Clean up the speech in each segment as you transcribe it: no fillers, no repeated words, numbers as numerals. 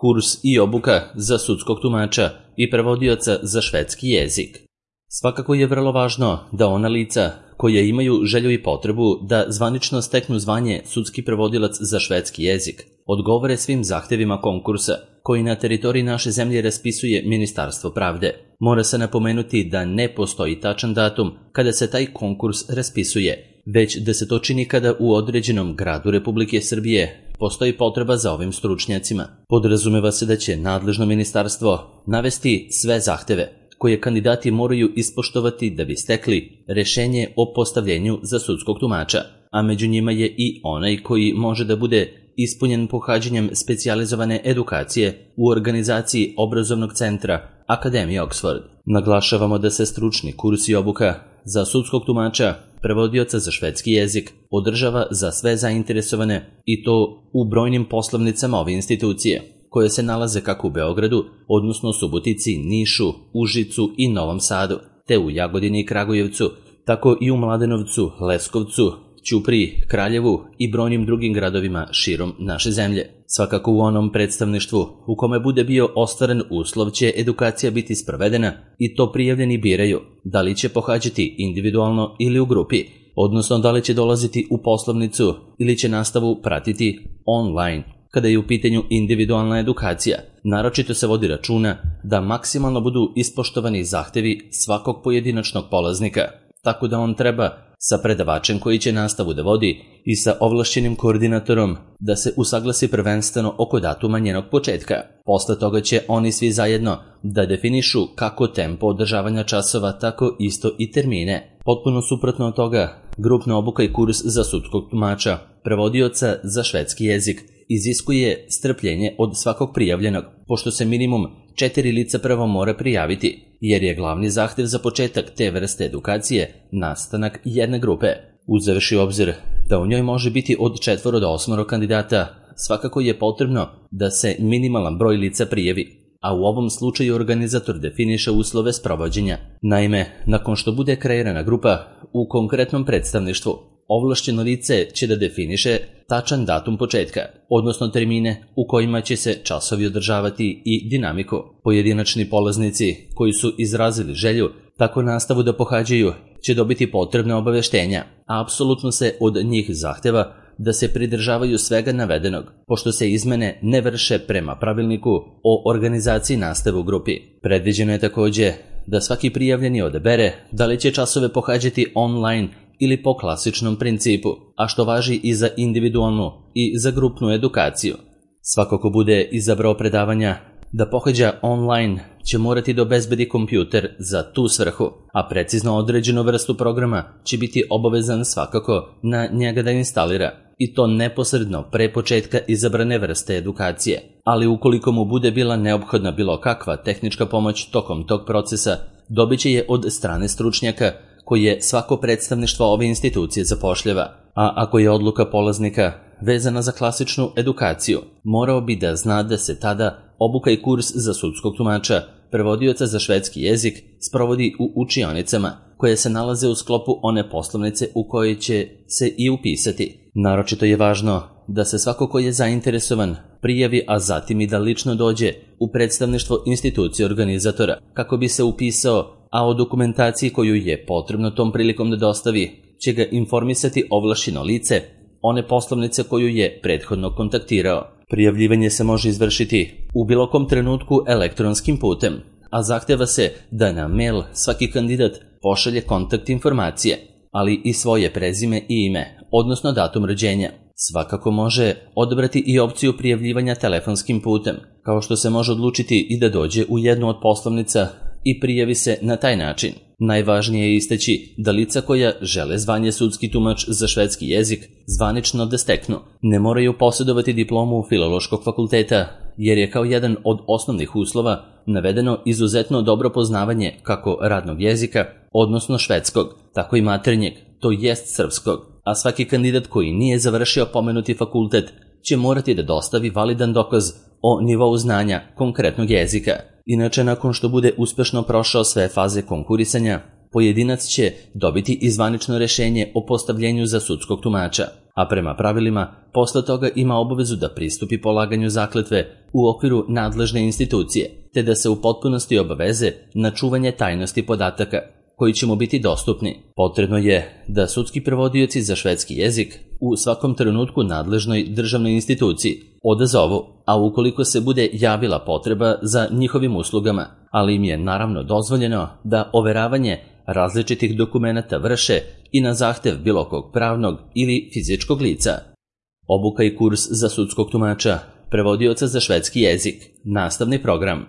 kurs i obuka za sudskog tumača i prevodioca za švedski jezik. Svakako je vrlo važno da ona lica koja imaju želju i potrebu da zvanično steknu zvanje sudski prevodilac za švedski jezik odgovore svim zahtevima konkursa koji na teritoriji naše zemlje raspisuje Ministarstvo pravde. Mora se napomenuti da ne postoji tačan datum kada se taj konkurs raspisuje, već da se to čini kada u određenom gradu Republike Srbije postoji potreba za ovim stručnjacima. Podrazumeva se da će nadležno ministarstvo navesti sve zahteve koje kandidati moraju ispoštovati da bi stekli rešenje o postavljenju za sudskog tumača, a među njima je i onaj koji može da bude ispunjen pohađanjem specijalizovane edukacije u organizaciji obrazovnog centra Akademije Oxford. Naglašavamo da se stručni kurs i obuka za sudskog tumača, prevodioca za švedski jezik, održava za sve zainteresovane i to u brojnim poslovnicama ove institucije, koje se nalaze kako u Beogradu, odnosno Subotici, Nišu, Užicu i Novom Sadu, te u Jagodini i Kragujevcu, tako i u Mladenovcu, Leskovcu, Ćupriji, Kraljevu i brojnim drugim gradovima širom naše zemlje. Svakako u onom predstavništvu u kome bude bio ostvaren uslov će edukacija biti sprovedena i to prijavljeni biraju da li će pohađati individualno ili u grupi, odnosno da li će dolaziti u poslovnicu ili će nastavu pratiti online. Kada je u pitanju individualna edukacija, naročito se vodi računa da maksimalno budu ispoštovani zahtevi svakog pojedinačnog polaznika, tako da on treba sa predavačem koji će nastavu da vodi i sa ovlašćenim koordinatorom da se usaglasi prvenstveno oko datuma njenog početka. Posle toga će oni svi zajedno da definišu kako tempo održavanja časova, tako isto i termine. Potpuno suprotno od toga, grupna obuka i kurs za sudskog tumača, prevodioca za švedski jezik, iziskuje strpljenje od svakog prijavljenog, pošto se minimum 4 lica prvo mora prijaviti, jer je glavni zahtev za početak te vrste edukacije nastanak jedne grupe. Uzevši u obzir da u njoj može biti od 4 do 8 kandidata, svakako je potrebno da se minimalan broj lica prijavi, a u ovom slučaju organizator definiše uslove sprovođenja. Naime, nakon što bude kreirana grupa u konkretnom predstavništvu, ovlašćeno lice će da definiše tačan datum početka, odnosno termine u kojima će se časovi održavati i dinamiku. Pojedinačni polaznici koji su izrazili želju tako nastavu da pohađaju će dobiti potrebne obaveštenja, a apsolutno se od njih zahteva da se pridržavaju svega navedenog, pošto se izmene ne vrše prema pravilniku o organizaciji nastave u grupi. Predviđeno je takođe da svaki prijavljeni odabere da li će časove pohađati online ili po klasičnom principu, a što važi i za individualnu i za grupnu edukaciju. Svako ko bude izabrao predavanja da pohađa online će morati da obezbedi kompjuter za tu svrhu, a precizno određenu vrstu programa će biti obavezan svakako na njega da instalira, i to neposredno pre početka izabrane vrste edukacije. Ali ukoliko mu bude bila neophodna bilo kakva tehnička pomoć tokom tog procesa, dobit će je od strane stručnjaka koje svako predstavništvo ove institucije zapošljava, a ako je odluka polaznika vezana za klasičnu edukaciju, morao bi da zna da se tada obuka i kurs za sudskog tumača, prevodioca za švedski jezik, sprovodi u učionicama koje se nalaze u sklopu one poslovnice u kojoj će se i upisati. Naročito je važno da se svako ko je zainteresovan prijavi, a zatim i da lično dođe u predstavništvo institucije organizatora kako bi se upisao, a o dokumentaciji koju je potrebno tom prilikom da dostavi će ga informisati ovlašćeno lice one poslovnice koju je prethodno kontaktirao. Prijavljivanje se može izvršiti u bilo kom trenutku elektronskim putem, a zahteva se da na mail svaki kandidat pošalje kontakt informacije, ali i svoje prezime i ime, odnosno datum rođenja. Svakako može odabrati i opciju prijavljivanja telefonskim putem, kao što se može odlučiti i da dođe u jednu od poslovnica i prijavi se na taj način. Najvažnije je istaći da lica koja žele zvanje sudski tumač za švedski jezik zvanično da steknu ne moraju posjedovati diplomu Filološkog fakulteta, jer je kao jedan od osnovnih uslova navedeno izuzetno dobro poznavanje kako radnog jezika, odnosno švedskog, tako i maternjeg, to jest srpskog, a svaki kandidat koji nije završio pomenuti fakultet će morati da dostavi validan dokaz o nivou znanja konkretnog jezika. Inače, nakon što bude uspešno prošao sve faze konkurisanja, pojedinac će dobiti i zvanično rešenje o postavljenju za sudskog tumača, a prema pravilima posle toga ima obavezu da pristupi polaganju zakletve u okviru nadležne institucije, te da se u potpunosti obaveze na čuvanje tajnosti podataka koji će mu biti dostupni. Potrebno je da sudski prevodioci za švedski jezik u svakom trenutku nadležnoj državnoj instituciji odazovu, a ukoliko se bude javila potreba za njihovim uslugama, ali im je naravno dozvoljeno da overavanje različitih dokumenata vrše i na zahtev bilo kog pravnog ili fizičkog lica. Obuka i kurs za sudskog tumača, prevodioca za švedski jezik, nastavni program.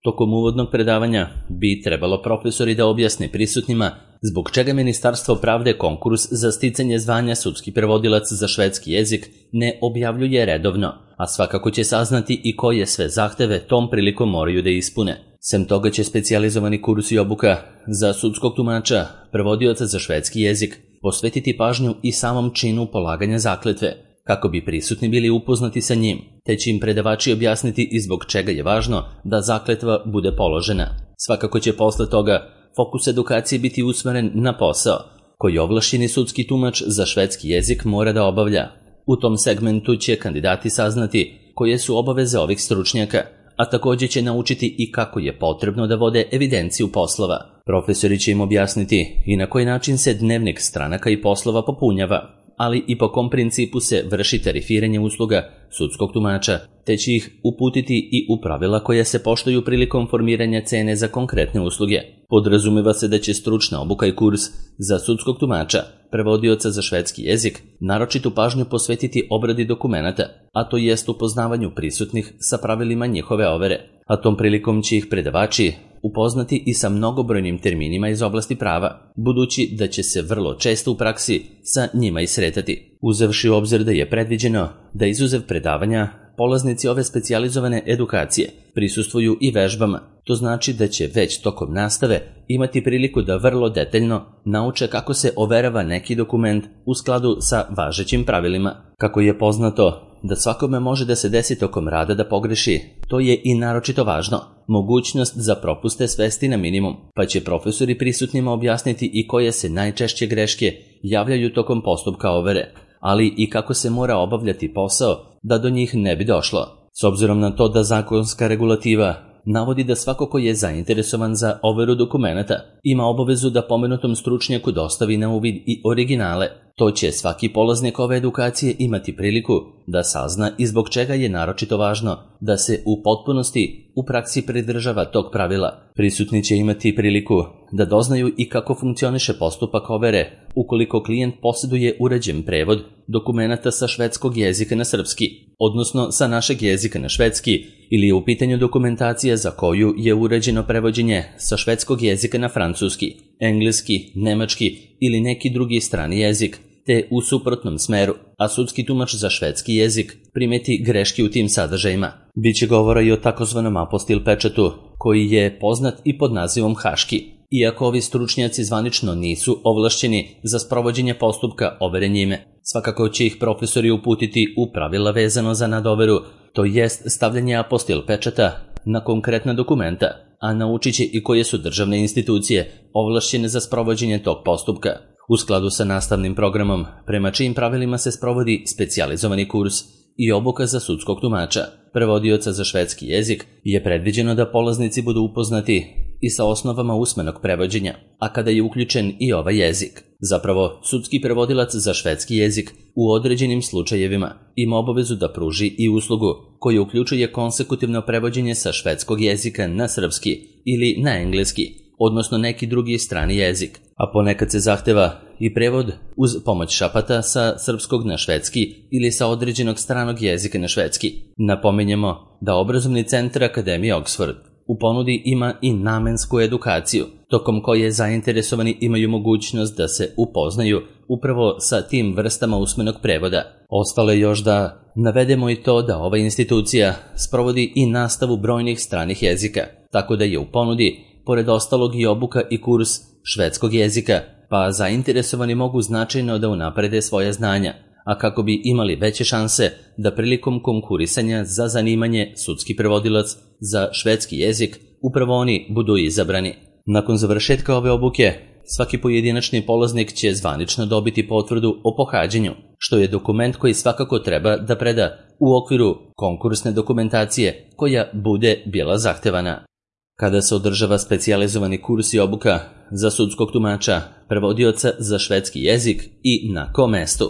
Tokom uvodnog predavanja bi trebalo profesori da objasne prisutnima zbog čega Ministarstvo pravde konkurs za sticanje zvanja sudski prevodilac za švedski jezik ne objavljuje redovno, a svakako će saznati i koje sve zahteve tom prilikom moraju da ispune. Sem toga će specijalizovani kurs i obuka za sudskog tumača, prevodioca za švedski jezik, posvetiti pažnju i samom činu polaganja zakletve, kako bi prisutni bili upoznati sa njim, te će im predavači objasniti i zbog čega je važno da zakletva bude položena. Svakako će posle toga fokus edukacije biti usmeren na posao koji ovlašćeni sudski tumač za švedski jezik mora da obavlja. U tom segmentu će kandidati saznati koje su obaveze ovih stručnjaka, a također će naučiti i kako je potrebno da vode evidenciju poslova. Profesori će im objasniti i na koji način se dnevnik stranaka i poslova popunjava, ali i po kom principu se vrši tarifiranje usluga sudskog tumača, te će ih uputiti i u pravila koja se poštuju prilikom formiranja cene za konkretne usluge. Podrazumeva se da će stručna obuka i kurs za sudskog tumača, prevodioca za švedski jezik, naročitu pažnju posvetiti obradi dokumenata, a to jest upoznavanju prisutnih sa pravilima njihove overe, a tom prilikom će ih predavači upoznati i sa mnogobrojnim terminima iz oblasti prava, budući da će se vrlo često u praksi sa njima i sretati. Uzevši u obzir da je predviđeno da izuzev predavanja polaznici ove specijalizovane edukacije prisustvuju i vežbama, to znači da će već tokom nastave imati priliku da vrlo detaljno nauče kako se overava neki dokument u skladu sa važećim pravilima. Kako je poznato da svakome može da se desi tokom rada da pogreši, to je i naročito važno. Mogućnost za propuste svesti na minimum, pa će profesori prisutnima objasniti i koje se najčešće greške javljaju tokom postupka overe, ali i kako se mora obavljati posao da do njih ne bi došlo. S obzirom na to da zakonska regulativa navodi da svako ko je zainteresovan za overu dokumenata ima obavezu da pomenutom stručnjaku dostavi na uvid i originale, to će svaki polaznik ove edukacije imati priliku da sazna i zbog čega je naročito važno da se u potpunosti u praksi pridržava tog pravila. Prisutni će imati priliku da doznaju i kako funkcioniše postupak overe ukoliko klijent posjeduje uređen prevod dokumenata sa švedskog jezika na srpski, odnosno sa našeg jezika na švedski, ili je u pitanju dokumentacija za koju je uređeno prevođenje sa švedskog jezika na francuski, engleski, nemački ili neki drugi strani jezik, te u suprotnom smeru, a sudski tumač za švedski jezik primeti greške u tim sadržajima. Biće govora i o takozvanom apostil pečatu, koji je poznat i pod nazivom haški. Iako ovi stručnjaci zvanično nisu ovlašćeni za sprovođenje postupka overe njime, svakako će ih profesori uputiti u pravila vezano za nadoveru, to jest stavljanje apostil pečata na konkretna dokumenta, a naučit će i koje su državne institucije ovlašćene za sprovođenje tog postupka. U skladu sa nastavnim programom, prema čijim pravilima se sprovodi specijalizovani kurs i obuka za sudskog tumača, prevodioca za švedski jezik, je predviđeno da polaznici budu upoznati i sa osnovama usmenog prevođenja, a kada je uključen i ovaj jezik. Zapravo, sudski prevodilac za švedski jezik u određenim slučajevima ima obavezu da pruži i uslugu koja uključuje konsekutivno prevođenje sa švedskog jezika na srpski ili na engleski, odnosno neki drugi strani jezik, a ponekad se zahteva i prevod uz pomoć šapata sa srpskog na švedski ili sa određenog stranog jezika na švedski. Napominjemo da obrazovni centar Akademije Oxford u ponudi ima i namensku edukaciju, tokom koje zainteresovani imaju mogućnost da se upoznaju upravo sa tim vrstama usmenog prevoda. Ostalo je još da navedemo i to da ova institucija sprovodi i nastavu brojnih stranih jezika, tako da je u ponudi, pored ostalog, i obuka i kurs švedskog jezika, pa zainteresovani mogu značajno da unaprede svoje znanja, a kako bi imali veće šanse da prilikom konkurisanja za zanimanje sudski prevodilac za švedski jezik upravo oni budu izabrani. Nakon završetka ove obuke, svaki pojedinačni polaznik će zvanično dobiti potvrdu o pohađanju, što je dokument koji svakako treba da preda u okviru konkursne dokumentacije koja bude bila zahtevana. Kada se održava specijalizovani kurs i obuka za sudskog tumača, prevodioca za švedski jezik i na kom mestu.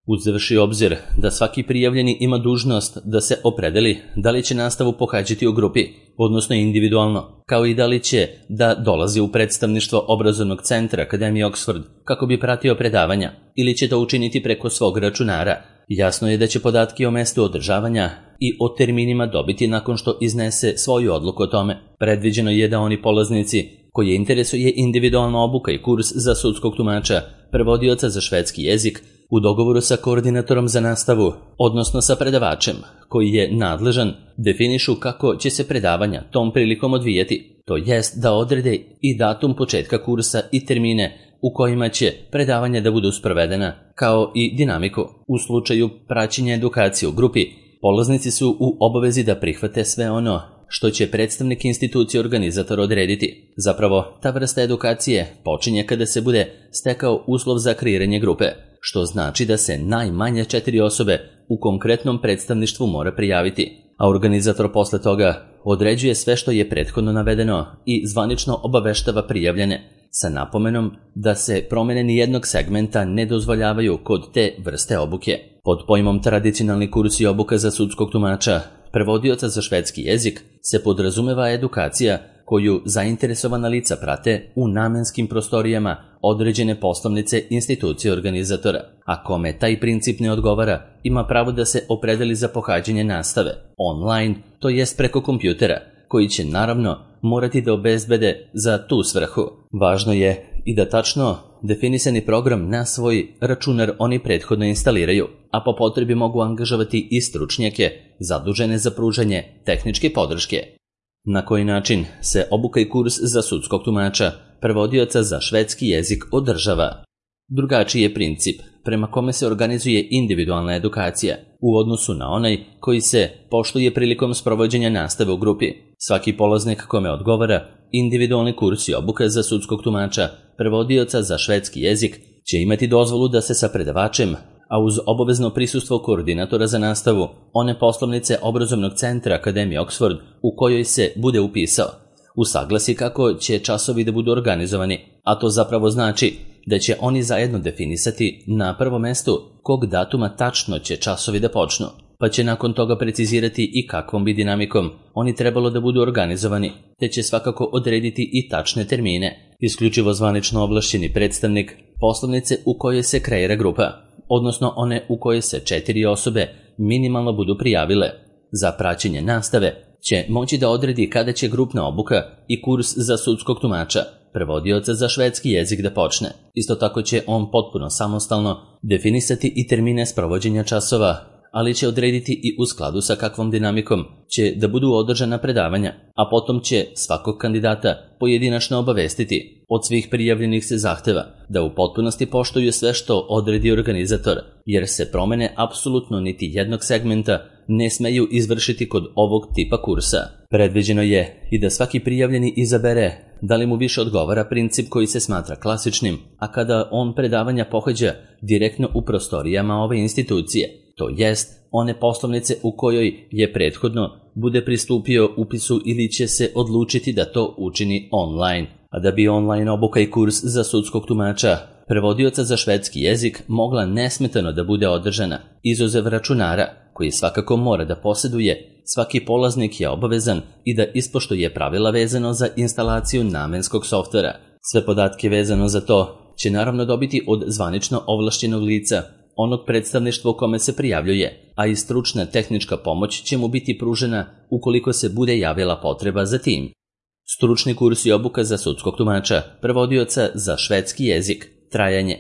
Uzevši obzir da svaki prijavljeni ima dužnost da se opredeli da li će nastavu pohađati u grupi, odnosno individualno, kao i da li će da dolazi u predstavništvo obrazovnog centra Akademije Oxford kako bi pratio predavanja ili će to učiniti preko svog računara. Jasno je da će podatke o mestu održavanja i o terminima dobiti nakon što iznese svoju odluku o tome. Predviđeno je da oni polaznici koje interesuje individualna obuka i kurs za sudskog tumača, prevodioca za švedski jezik, u dogovoru sa koordinatorom za nastavu, odnosno sa predavačem, koji je nadležan, definišu kako će se predavanja tom prilikom odvijati, to jest da odrede i datum početka kursa i termine u kojima će predavanja da budu sprovedena, kao i dinamiku. U slučaju praćenja edukacije u grupi, polaznici su u obavezi da prihvate sve ono što će predstavnik institucije organizator odrediti. Zapravo, ta vrsta edukacije počinje kada se bude stekao uslov za kreiranje grupe, što znači da se najmanje 4 osobe u konkretnom predstavništvu mora prijaviti, a organizator posle toga određuje sve što je prethodno navedeno i zvanično obaveštava prijavljene, sa napomenom da se promene nijednog segmenta ne dozvoljavaju kod te vrste obuke. Pod pojmom tradicionalni kurs i obuka za sudskog tumača, prevodioca za švedski jezik, se podrazumeva edukacija koju zainteresovana lica prate u namenskim prostorijama određene poslovnice institucije organizatora. A kome taj princip ne odgovara, ima pravo da se opredeli za pohađanje nastave online, to jest preko kompjutera, koji će naravno morati da obezbede za tu svrhu. Važno je i da tačno definisani program na svoj računar oni prethodno instaliraju, a po potrebi mogu angažovati i stručnjake zadužene za pružanje tehničke podrške. Na koji način se obuka i kurs za sudskog tumača, prevodioca za švedski jezik održava? Drugačiji je princip prema kome se organizuje individualna edukacija u odnosu na onaj koji se poštuje prilikom sprovođenja nastave u grupi. Svaki polaznik kome odgovara individualni kurs i obuka za sudskog tumača, prevodioca za švedski jezik, će imati dozvolu da se sa predavačem, a uz obavezno prisustvo koordinatora za nastavu, one poslovnice obrazovnog centra Akademije Oxford u kojoj se bude upisao, usaglasi kako će časovi da budu organizovani, a to zapravo znači da će oni zajedno definisati na prvom mestu kog datuma tačno će časovi da počnu, pa će nakon toga precizirati i kakvom bi dinamikom oni trebalo da budu organizovani, te će svakako odrediti i tačne termine. Isključivo zvanično ovlašćeni predstavnik poslovnice u kojoj se kreira grupa, odnosno one u kojoj se 4 osobe minimalno budu prijavile za praćenje nastave, će moći da odredi kada će grupna obuka i kurs za sudskog tumača, prevodioca za švedski jezik da počne. Isto tako će on potpuno samostalno definisati i termine sprovođenja časova, ali će odrediti i u skladu sa kakvom dinamikom će da budu održana predavanja, a potom će svakog kandidata pojedinačno obavestiti. Od svih prijavljenih se zahteva da u potpunosti poštuju sve što odredi organizator, jer se promene apsolutno niti jednog segmenta ne smeju izvršiti kod ovog tipa kursa. Predviđeno je i da svaki prijavljeni izabere da li mu više odgovara princip koji se smatra klasičnim, a kada on predavanja pohađa direktno u prostorijama ove institucije, to jest one poslovnice u kojoj je prethodno bude pristupio upisu ili će se odlučiti da to učini online. A da bi online obuka i kurs za sudskog tumača, prevodioca za švedski jezik mogla nesmetano da bude održana, izuzev računara, koji svakako mora da posjeduje, svaki polaznik je obavezan i da ispoštuje pravila vezano za instalaciju namenskog softvera. Sve podatke vezano za to će naravno dobiti od zvanično ovlašćenog lica, onog predstavništva u kome se prijavljuje, a i stručna tehnička pomoć će mu biti pružena ukoliko se bude javila potreba za tim. Stručni kurs i obuka za sudskog tumača, prevodioca za švedski jezik, trajanje.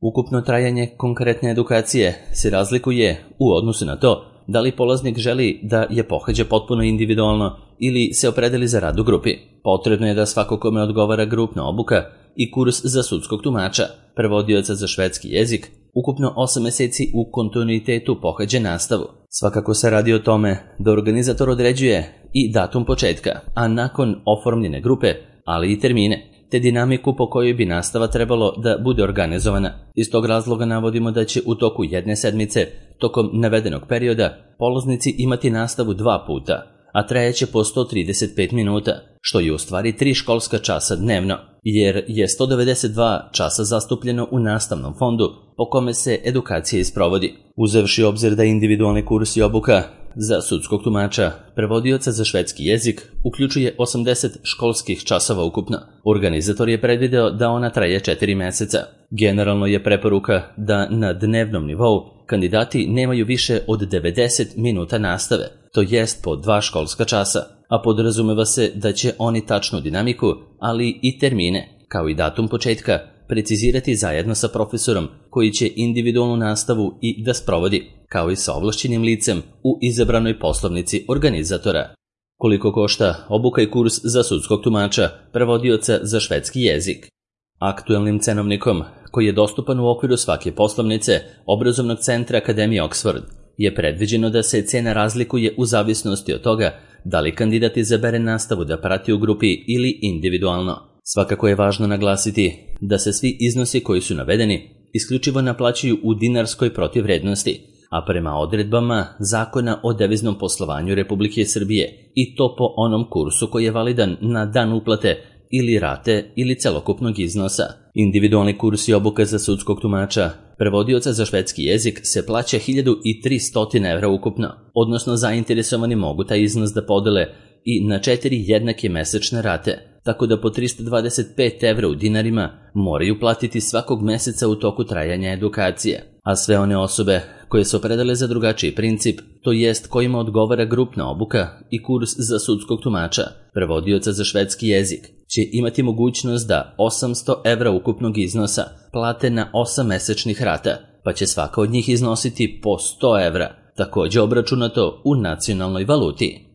Ukupno trajanje konkretne edukacije se razlikuje u odnosu na to da li polaznik želi da je pohađa potpuno individualno ili se opredeli za rad u grupi. Potrebno je da svako kome odgovara grupna obuka i kurs za sudskog tumača, prevodioca za švedski jezik, ukupno 8 meseci u kontinuitetu pohađa nastavu. Svakako se radi o tome da organizator određuje i datum početka, a nakon oformljene grupe, ali i termine, te dinamiku po kojoj bi nastava trebalo da bude organizovana. Iz tog razloga navodimo da će u toku jedne sedmice, tokom navedenog perioda, polaznici imati nastavu 2 puta, a trajeće po 135 minuta, što je u stvari 3 školska časa dnevno, jer je 192 časa zastupljeno u nastavnom fondu po kome se edukacija isprovodi. Uzevši obzir da individualni kurs i obuka za sudskog tumača, prevodioca za švedski jezik, uključuje 80 školskih časova ukupno. Organizator je predvideo da ona traje 4 meseca. Generalno je preporuka da na dnevnom nivou kandidati nemaju više od 90 minuta nastave, to jest po 2 školska časa, a podrazumeva se da će oni tačnu dinamiku, ali i termine, kao i datum početka, precizirati zajedno sa profesorom koji će individualnu nastavu i da sprovodi, kao i sa ovlašćenim licem u izabranoj poslovnici organizatora. Koliko košta obuka i kurs za sudskog tumača, prevodioca za švedski jezik? Aktuelnim cenovnikom, koji je dostupan u okviru svake poslovnice obrazovnog centra Akademije Oxford, je predviđeno da se cena razlikuje u zavisnosti od toga da li kandidat izabere nastavu da prati u grupi ili individualno. Svakako je važno naglasiti da se svi iznosi koji su navedeni isključivo naplaćuju u dinarskoj protivvrednosti, a prema odredbama Zakona o deviznom poslovanju Republike Srbije, i to po onom kursu koji je validan na dan uplate ili rate ili celokupnog iznosa. Individualni kurs i obuka za sudskog tumača, prevodioca za švedski jezik se plaća 1300 evra ukupno, odnosno zainteresovani mogu taj iznos da podele i na 4 jednake mesečne rate, tako da po 325 evra u dinarima moraju platiti svakog meseca u toku trajanja edukacije. A sve one osobe koje se opredele za drugačiji princip, to jest kojima odgovara grupna obuka i kurs za sudskog tumača, prevodioca za švedski jezik, će imati mogućnost da 800 evra ukupnog iznosa plate na 8 mesečnih rata, pa će svaka od njih iznositi po 100 evra, takođe obračunato u nacionalnoj valuti.